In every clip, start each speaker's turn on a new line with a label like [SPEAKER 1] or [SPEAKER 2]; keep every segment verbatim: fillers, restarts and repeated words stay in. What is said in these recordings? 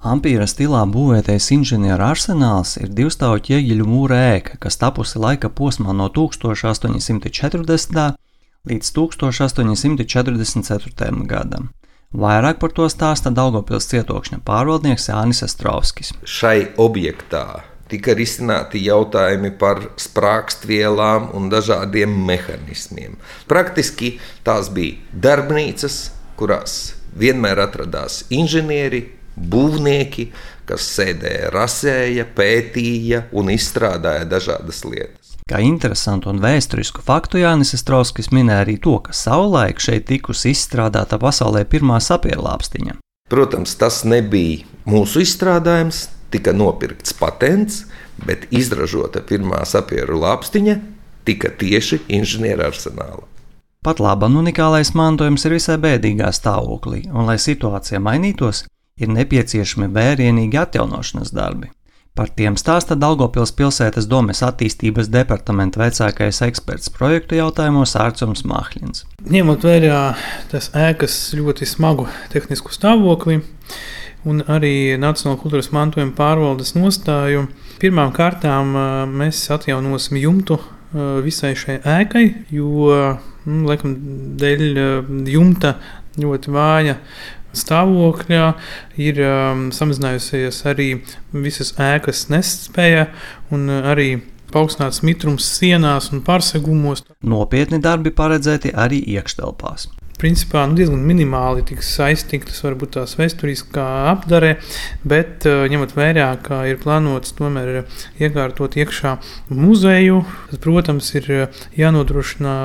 [SPEAKER 1] Ampīra stilā būvētais inženieru arsenāls ir divstāvu ķieģeļu mūra ēka, kas tapusi laika posmā no tūkstoš astoņi simti četrdesmitā līdz tūkstoš astoņi simti četrdesmit ceturtajam gadam. Vairāk par to stāsta Daugavpils cietokšņa pārvaldnieks Jānis Astrovskis.
[SPEAKER 2] Šai objektā tika risināti jautājumi par sprākstvielām un dažādiem mehanismiem. Praktiski tās bija darbnīcas, kurās vienmēr atradās inženieri, būvnieki, kas sēdēja, rasēja, pētīja un izstrādāja dažādas lietas.
[SPEAKER 1] Kā interesantu un vēsturisku faktu Jānis Astrovskis minēja arī to, ka savulaik šeit tikusi izstrādāta pasaulē pirmā sapierlāpstiņa.
[SPEAKER 2] Protams, tas nebija mūsu izstrādājums, tika nopirkts patents, bet izražota pirmā sapieru lāpstiņa tika tieši inženieru arsenāla.
[SPEAKER 1] Pat laban unikālais mantojums ir visai bēdīgā stāvoklī, un lai situācija mainītos, ir nepieciešami vērienīgi atjaunošanas darbi. Par tiem stāsta Daugavpils pilsētas domes attīstības departamenta vecākais eksperts projektu jautājumos Ārcums Mahļins.
[SPEAKER 3] Ņemot vērā tas ēkas ļoti smagu tehnisku stāvokli un arī Nacionālo kultūras mantojuma pārvaldes nostāju, pirmām kārtām mēs atjaunosim jumtu visai šai ēkai, jo, nu, laikam, dēļ jumta ļoti vāja stāvokļā ir um, samazinājusies arī visas ēkas nespēja un arī paaugstināts mitrums sienās un pārsegumos.
[SPEAKER 1] Nopietni darbi paredzēti arī iekštelpās.
[SPEAKER 3] Principā nu, diezgan minimāli tiks saistītas varbūt tās vēsturiskā apdare, bet ņemot vērā, ka ir plānots tomēr iekārtot iekšā muzeju, tad, protams, ir jānodrošina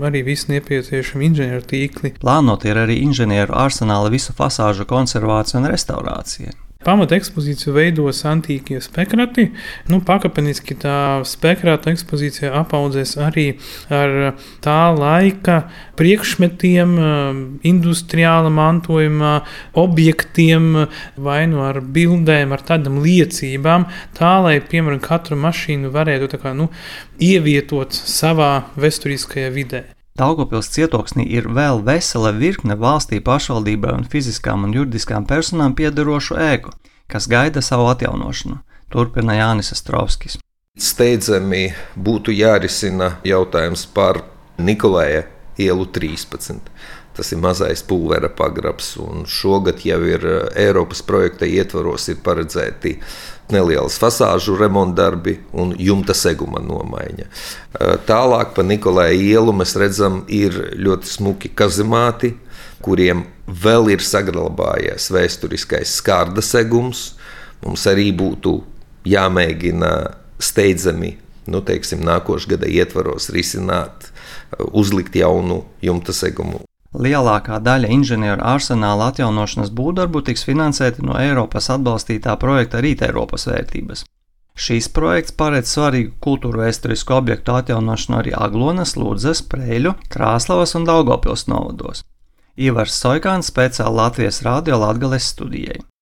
[SPEAKER 3] arī visi nepieciešami inženieru tīkli.
[SPEAKER 1] Plānot ir arī inženieru arsenāla visu fasāžu konservācija un restaurācija.
[SPEAKER 3] Pamata ekspozīciju veidos antīkie spekrati. Nu, pakāpeniski tā spekrāta ekspozīcija apaudzēs arī ar tā laika priekšmetiem, industriāla mantojuma objektiem, vai nu ar bildēm, ar tādām liecībām, tā, lai, piemēram, katru mašīnu varētu tā kā, nu, ievietot savā vēsturiskajā vidē.
[SPEAKER 1] Daugavpils cietoksnī ir vēl vesela virkne valstī, pašvaldībai un fiziskām un juridiskām personām piederošu ēku, kas gaida savu atjaunošanu, turpina Jānis Astrovskis.
[SPEAKER 2] Steidzami būtu jārisina jautājums par Nikolaja ielu trīspadsmit. Tas ir mazais pulvera pagrabs, un šogad jau ir Eiropas projekta ietvaros ir paredzēti nelielas fasāžu remontdarbi un jumta seguma nomaiņa. Tālāk pa Nikolaja ielu mēs redzam, ir ļoti smuki kazemāti, kuriem vēl ir saglabājies vēsturiskais skārda segums. Mums arī būtu jāmēģina steidzami, nu, teiksim, nākošā gada ietvaros risināt, uzlikt jaunu jumta segumu.
[SPEAKER 1] Lielākā daļa inženieru arsenāla atjaunošanas būvdarbu tiks finansēti no Eiropas atbalstītā projekta Rīt Eiropas vērtības. Šīs projekts paredz svarīgu kultūrvēsturisku objektu atjaunošanu arī Aglonas, Ludzas, Preļu, Krāslavas un Daugavpils novados. Ivars Soikāns speciāli Latvijas radio Latgales studijai.